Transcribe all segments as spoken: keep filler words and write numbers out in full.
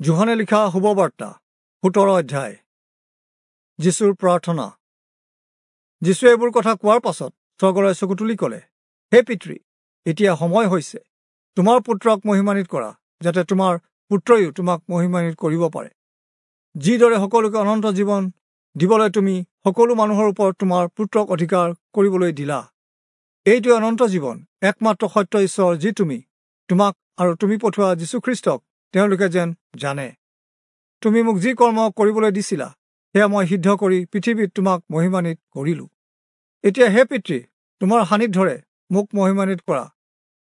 যোহনে লিখা শুভবাৰ্তা সোতৰ অধ্যায়। যীশুৰ প্ৰাৰ্থনা। যীশুৱে এইবোৰ কথা কোৱাৰ পাছত স্বৰ্গলৈ চকু তুলি ক'লে, হে পিতৃ, এতিয়া সময় হৈছে, তোমাৰ পুত্ৰক মহিমান্বিত কৰা, যাতে তোমাৰ পুত্ৰয়ো তোমাক মহিমান্বিত কৰিব পাৰে। যিদৰে সকলোকে অনন্ত জীৱন দিবলৈ তুমি সকলো মানুহৰ ওপৰত তোমাৰ পুত্ৰক অধিকাৰ কৰিবলৈ দিলা, এইটোৱে অনন্ত জীৱন, একমাত্ৰ সত্য ঈশ্বৰ যি তুমি, তোমাক আৰু তুমি পঠোৱা যীশুখ্ৰীষ্টক তেওঁলোকে যেন জানে। তুমি মোক যি কৰ্ম কৰিবলৈ দিছিলা, সেয়া মই সিদ্ধ কৰি পৃথিৱীত তোমাক মহিমান্বিত কৰিলোঁ। এতিয়া হে পিতৃ, তোমাৰ সান্নিধ্যৰে মোক মহিমান্বিত কৰা।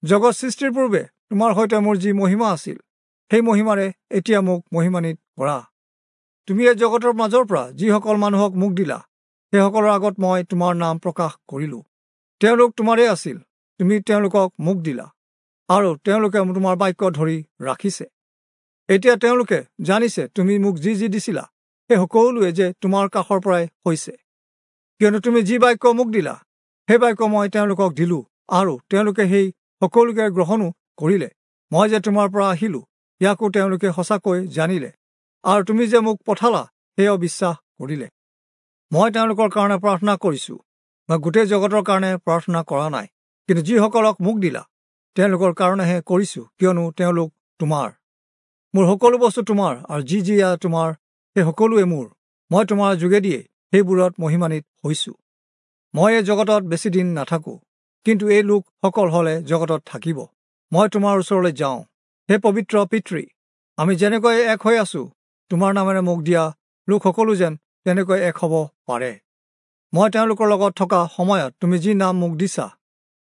জগত সৃষ্টিৰ পূৰ্বে তোমাৰ সৈতে মোৰ যি মহিমা আছিল, সেই মহিমাৰে এতিয়া মোক মহিমান্বিত কৰা। তুমি এই জগতৰ মাজৰ পৰা যিসকল মানুহক মোক দিলা, সেইসকলৰ আগত মই তোমাৰ নাম প্ৰকাশ কৰিলোঁ। তেওঁলোক তোমাৰেই আছিল, তুমি তেওঁলোকক মোক দিলা, আৰু তেওঁলোকে তোমাৰ বাক্য ধৰি ৰাখিছে। এতিয়া তেওঁলোকে জানিছে তুমি মোক যি যি দিছিলা, সেই সকলোৱে যে তোমাৰ কাষৰ পৰাই হৈছে। কিয়নো তুমি যি বাক্য মোক দিলা, সেই বাক্য মই তেওঁলোকক দিলোঁ, আৰু তেওঁলোকে সেই সকলোকে গ্ৰহণো কৰিলে। মই যে তোমাৰ পৰা আহিলোঁ, ইয়াকো তেওঁলোকে সঁচাকৈ জানিলে, আৰু তুমি যে মোক পঠালা, সেয়াও বিশ্বাস কৰিলে। মই তেওঁলোকৰ কাৰণে প্ৰাৰ্থনা কৰিছোঁ, মই গোটেই জগতৰ কাৰণে প্ৰাৰ্থনা কৰা নাই, কিন্তু যিসকলক মোক দিলা তেওঁলোকৰ কাৰণেহে কৰিছোঁ, কিয়নো তেওঁলোক তোমাৰ। মোৰ সকলো বস্তু তোমাৰ, আৰু যি যি তোমাৰ সেই সকলোৱে মোৰ। মই তোমাৰ যোগেদিয়ে সেইবোৰত মহিমান্বিত হৈছোঁ। মই এই জগতত বেছিদিন নাথাকোঁ, কিন্তু এই লোকসকল হ'লে জগতত থাকিব। মই তোমাৰ ওচৰলৈ যাওঁ। হে পবিত্ৰ পিতৃ, আমি যেনেকৈ এক হৈ আছোঁ, তোমাৰ নামেৰে মোক দিয়া লোকসকলো যেন তেনেকৈ এক হ'ব পাৰে। মই তেওঁলোকৰ লগত থকা সময়ত তুমি যি নাম মোক দিছা,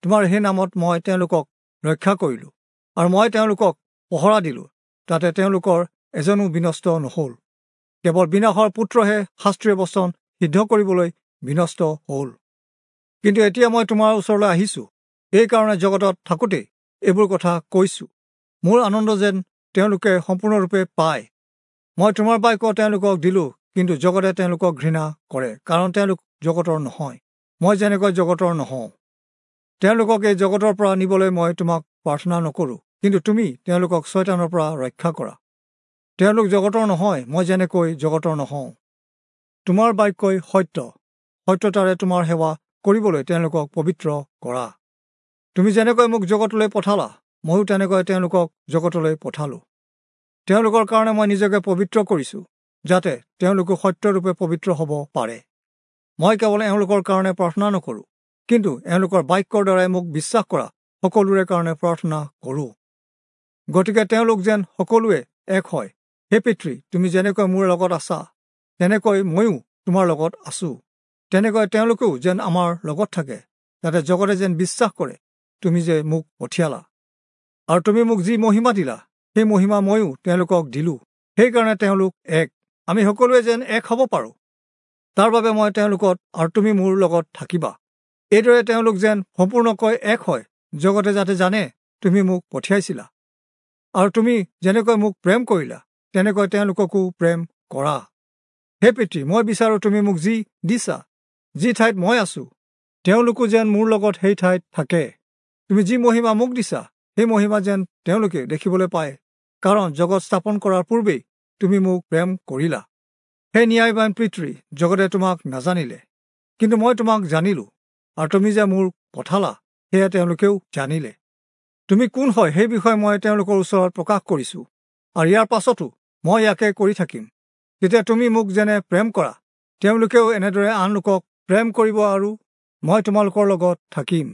তোমাৰ সেই নামত মই তেওঁলোকক ৰক্ষা কৰিলোঁ, আৰু মই তেওঁলোকক পহৰা দিলোঁ, তাতে তেওঁলোকৰ এজনো বিনষ্ট নহ'ল। কেৱল বিনাশৰ পুত্ৰহে শাস্ত্ৰীয় বচন সিদ্ধ কৰিবলৈ বিনষ্ট হ'ল। কিন্তু এতিয়া মই তোমাৰ ওচৰলৈ আহিছোঁ, এইকাৰণে জগতত থাকোঁতেই এইবোৰ কথা কৈছোঁ, মোৰ আনন্দ যেন তেওঁলোকে সম্পূৰ্ণৰূপে পায়। মই তোমাৰ বাক্য তেওঁলোকক দিলোঁ, কিন্তু জগতে তেওঁলোকক ঘৃণা কৰে, কাৰণ তেওঁলোক জগতৰ নহয়, মই যেনেকৈ জগতৰ নহওঁ। তেওঁলোকক এই জগতৰ পৰা নিবলৈ মই তোমাক প্ৰাৰ্থনা নকৰোঁ, কিন্তু তুমি তেওঁলোকক ছয়তানৰ পৰা ৰক্ষা কৰা। তেওঁলোক জগতৰ নহয়, মই যেনেকৈ জগতৰ নহওঁ। তোমাৰ বাক্যই সত্য, সত্যতাৰে তোমাৰ সেৱা কৰিবলৈ তেওঁলোকক পবিত্ৰ কৰা। তুমি যেনেকৈ মোক জগতলৈ পঠালা, ময়ো তেনেকৈ তেওঁলোকক জগতলৈ পঠালোঁ। তেওঁলোকৰ কাৰণে মই নিজকে পবিত্ৰ কৰিছোঁ, যাতে তেওঁলোকো সত্যৰূপে পবিত্ৰ হ'ব পাৰে। মই কেৱল এওঁলোকৰ কাৰণে প্ৰাৰ্থনা নকৰোঁ, কিন্তু এওঁলোকৰ বাক্যৰ দ্বাৰাই মোক বিশ্বাস কৰা সকলোৰে কাৰণে প্ৰাৰ্থনা কৰোঁ। গতিকে তেওঁলোক যেন সকলোৱে এক হয়। হে পিতৃ, তুমি যেনেকৈ মোৰ লগত আছা, তেনেকৈ ময়ো তোমাৰ লগত আছোঁ, তেনেকৈ তেওঁলোকেও যেন আমাৰ লগত থাকে, যাতে জগতে যেন বিশ্বাস কৰে তুমি যে মোক পঠিয়ালা। আৰু তুমি মোক যি মহিমা দিলা, সেই মহিমা ময়ো তেওঁলোকক দিলোঁ, সেইকাৰণে তেওঁলোক এক। আমি সকলোৱে যেন এক হ'ব পাৰোঁ, তাৰ বাবে মই তেওঁলোকত আৰু তুমি মোৰ লগত থাকিবা। এইদৰে তেওঁলোক যেন সম্পূৰ্ণকৈ এক হয়, জগতে যাতে জানে তুমি মোক পঠিয়াইছিলা, আৰু তুমি যেনেকৈ মোক প্ৰেম কৰিলা, তেনেকৈ তেওঁলোককো প্ৰেম কৰা। হে পিতৃ, মই বিচাৰোঁ তুমি মোক যি দিছা, যি ঠাইত মই আছোঁ, তেওঁলোকো যেন মোৰ লগত সেই ঠাইত থাকে। তুমি যি মহিমা মোক দিছা, সেই মহিমা যেন তেওঁলোকে দেখিবলৈ পায়, কাৰণ জগত স্থাপন কৰাৰ পূৰ্বেই তুমি মোক প্ৰেম কৰিলা। হে ন্যায়বান পিতৃ, জগতে তোমাক নাজানিলে, কিন্তু মই তোমাক জানিলোঁ, আৰু তুমি যে মোৰ পঠালা, সেয়া তেওঁলোকেও জানিলে। তুমি কোন হয় সেই বিষয়ে মই তেওঁলোকৰ ওচৰত প্ৰকাশ কৰিছোঁ, আৰু ইয়াৰ পাছতো মই ইয়াকে কৰি থাকিম। তেতিয়া তুমি মোক যেনে প্ৰেম কৰা, তেওঁলোকেও এনেদৰে আন লোকক প্ৰেম কৰিব, আৰু মই তোমালোকৰ লগত থাকিম।